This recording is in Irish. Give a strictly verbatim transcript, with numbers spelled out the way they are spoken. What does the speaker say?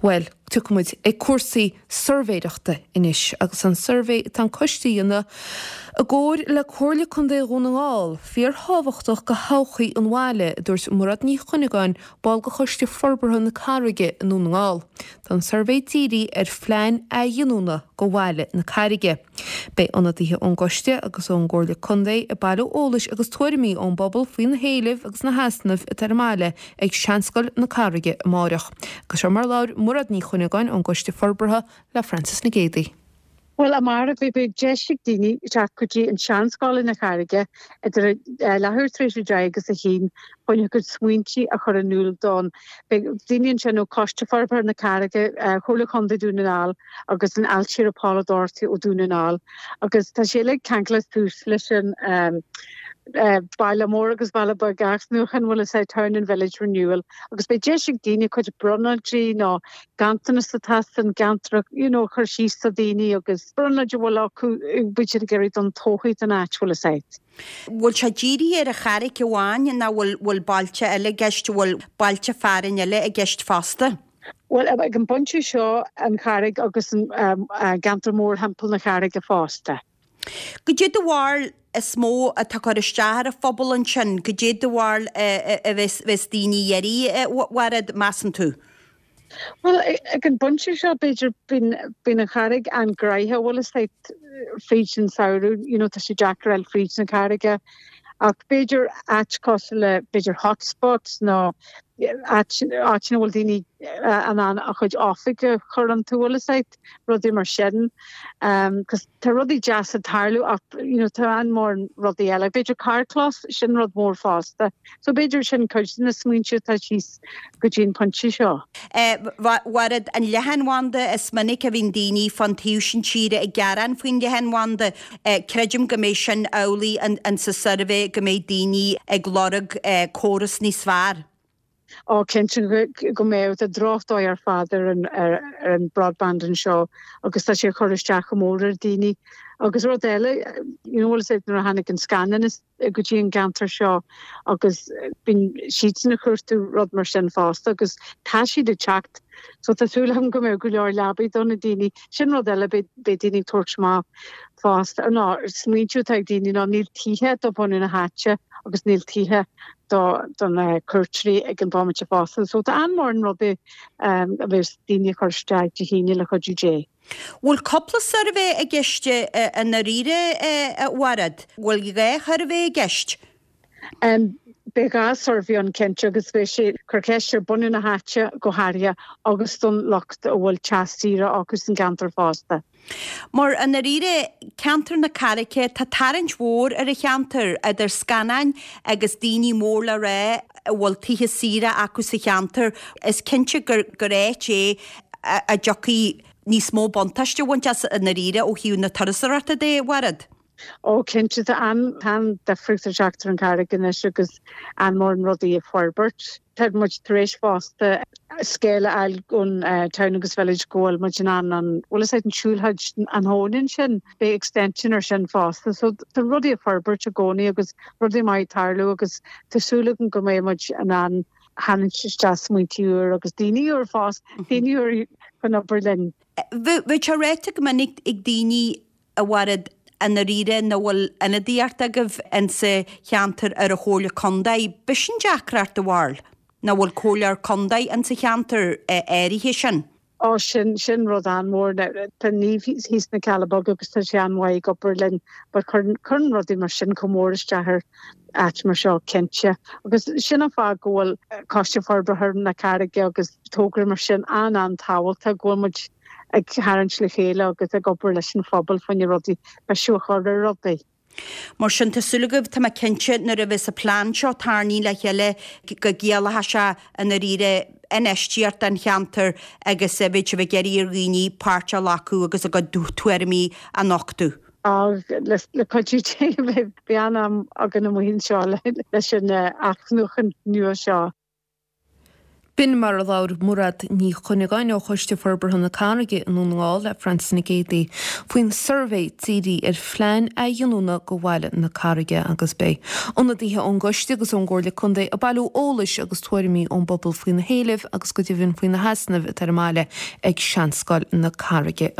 Bhuel, tiocfaidh muid ag cúrsaí suirbhéireachta anois agus an suirbhé atá an coiste a dhéanamh i gcomhar le Comhairle Contae Dhún na nGall, fíorthábhachtach do thodhchaí an bhaile, a dúirt Mairéad Ní Chuinneagáin, ball de Choiste Forbartha na Carraige i nDún na nGall. Tá an suirbhé dírithe ar phlean athghiniúna do bhaile na Carraige. Beidh ionadaithe ón gcoiste agus ón gComhairle Contae ag bailiú eolais agus tuairimí ón bpobal faoi na héilimh agus na heasnaimh atá ar an mbaile ag Seanscoil na Carraige amárach. Agus seo mar labhair Mairéad Ní Chuinneagáin ón gCoiste Forbartha le Frances Nic Géadaigh. Bhuel, amárach beidh deis ag daoine teacht go dtí an Seanscoil ina Charraige idir leathuair tar éis a deich agus a haon chun a gcuid smaointe a chur in iúl don. Beidh daoine ansin ó Choiste Forbartha na Carraige, Chomhairle Chontae Dún na nGall agus an Ailtire Paula Doherty ó Dún na nGall agus tá sé uilig ceangailte suas leis an baile mór agus baile beag athnuachan bhfuil a fhios Town and Village Renewal agus beidh deis ag daoine cuid brionglóidí nó ganntanas atá san gceantar you know chur síos do daoine agus brionglóid a bhfuil acu bhfuil siad ag iarraidh don todhchaí don áit bhfuil a fhios agat. Bhfuil sé dírithe ar an Charraig amháin nó bhfuil bhfuil bailte eile i gceist, bhfuil bailte fearainn eile i gceist fosta? Bhuel ag an bpointe seo an Charraig agus an gceantar mór thimpeall na Carraige fosta. Goidé do bharúil is mó atá ag cur isteach ar an phobal ansin, goidé do bharúil a bheas bheas daoine ag iarraidh a Mhairéad, measann tú? Bhuel ag an bpointe seo b'fhéidir bíonn bíonn an Charraig an-ghnoitheach bhfuil a fhios agat fríd an samhradh you know tá sé deacair fháil fríd na Carraige ach b'fhéidir áit cosúil le b'fhéidir hotspots nó áit áit ina bhfuil daoine in ann a chuid oifig a chur iontu bhfuil a fhios agat rudaí mar sin cos tá rudaí deasa ag tarlú ach you know tá an-mhór rudaí eile b'fhéidir carrchlós sin rud mór fosta so b'fhéidir sin cuid de na smaointe atá síos go dtí an pointe seo. Mhairéad, an leathanbhanda is minic a bhíonn daoine fán taobh sin tíre ag gearán faoin leathanbhanda. Creidim go mbeidh sin amhlaidh in sa suirbhé go mbeidh daoine ag lorg córas níos fearr. Ó cinnte go mbeidh tá drochdóigh ar fad ar an ar an broadband anseo agus tá sé ag cur isteach go mór ar daoine. Agus rud eile you know bhfuil a fhios agat nuair a tháinig an scannán go dtí an gceantar seo agus bíonn siadsan ag cuartú rud mar sin fosta agus tá siad ag teacht so tá súil agam go mbeidh go leor leabaí do na daoine. Sin rud eile beidh daoine ag tabhairt amach fosta nó smaointiú atá ag daoine ná níl tithe do bhunadh na háite agus níl tithe do do na cuairteoirí ag an bhomaite fosta. So tá an-mhórán rudaí a bheas daoine ag cur isteach Dé hAoine le cuidiú Dé. Bhfuil cúpla suirbhé i gceist i ndáiríre a Mhairéad? Bhfuil dhá shuirbhé i gceist? Beidh dhá suirbhé ann cinnte agus beidh sé cur ceist ar bunadh na háite go háirithe agus don lucht a bhfuil teach saoire acu san gceantar fosta. Mar i ndáiríre, ceantar na Carraice, tá tarraingt mhór ar an cheantar, idir scannáin agus daoine mór le rá a bhfuil tithe saoire acu sa cheantar. Is cinnte gur gur áit é a dtiocfaidh níos mó buntáiste a bhaint as i ndáiríre ó thaobh na turasóireachta de, a Mhairéad. Ó cinnte tá an-difríocht ag teacht ar an Charraig anois agus an-mhórán rudaí ag forbairt. Tá muid tar éis fosta scéal a fháil ón Town agus Village go bhfuil muid in ann an bhfuil a fhios agat an siúlóid an abhainn ansin, beidh extension ar sin fosta. So tá rudaí ag forbairt i gcónaí agus rudaí maith ag tarlú agus tá súil agam go mbeidh muid in ann tharraingt isteach smaointe úr agus daoine úr fosta, daoine úr chun obair linn. Bheadh sé ráite go minic ag daoine a Mhairéad, i ndáiríre nach bhfuil ionadaíocht agaibh insa cheantar ar an Chomhairle Contae. B'shin deacracht do bharúil, nach bhfuil comhairleoir contae insa cheantar áirithe sin. Ó sin, sin rud an-mhór. Tá Niamh thíos sna Cealla Beaga agus tá sí an-mhaith ag obair linn but cuireann, cuireann rudaí mar sin chomh mór isteach ar áit mar seo cinnte. Agus sin an fáth go bhfuil Coiste Forbartha na Carraige agus togra mar sin an-an-tábhachtach go bhfuil muid ag tarraingt le chéile agus ag obair leis an phobal faoi na rudaí, feabhas a chur ar rudaí. Mar sin, tá súil agaibh, tá mé cinnte, nuair a bheas an plean seo tarraingthe le chéile go gciallóidh sé i ndáiríre infheistíocht don cheantar agus beidh sibh ag iarraidh ar dhaoine páirt a ghlacadh agus a gcuid tuairimí a nochtadh. Le cuidiú Dé beidh an-am againn amuigh anseo leis an athnuachan nua seo. B'in mar a labhair Mairéad Ní Chuinneagáin ó Choiste Forbartha na Carraige i nDún na nGall le Frances Nic Géadaigh faoin suirbhé dírithe ar phlean athghiniúna do bhaile na Carraige agus beidh ionadaithe ón gcoiste agus ón gComhairle Contae ag bailiú eolais agus tuairimí ón bpobal faoi na héilimh agus go deimhin faoi na heasnaimh atá ar an mbaile ag Seanscoil na Carraige.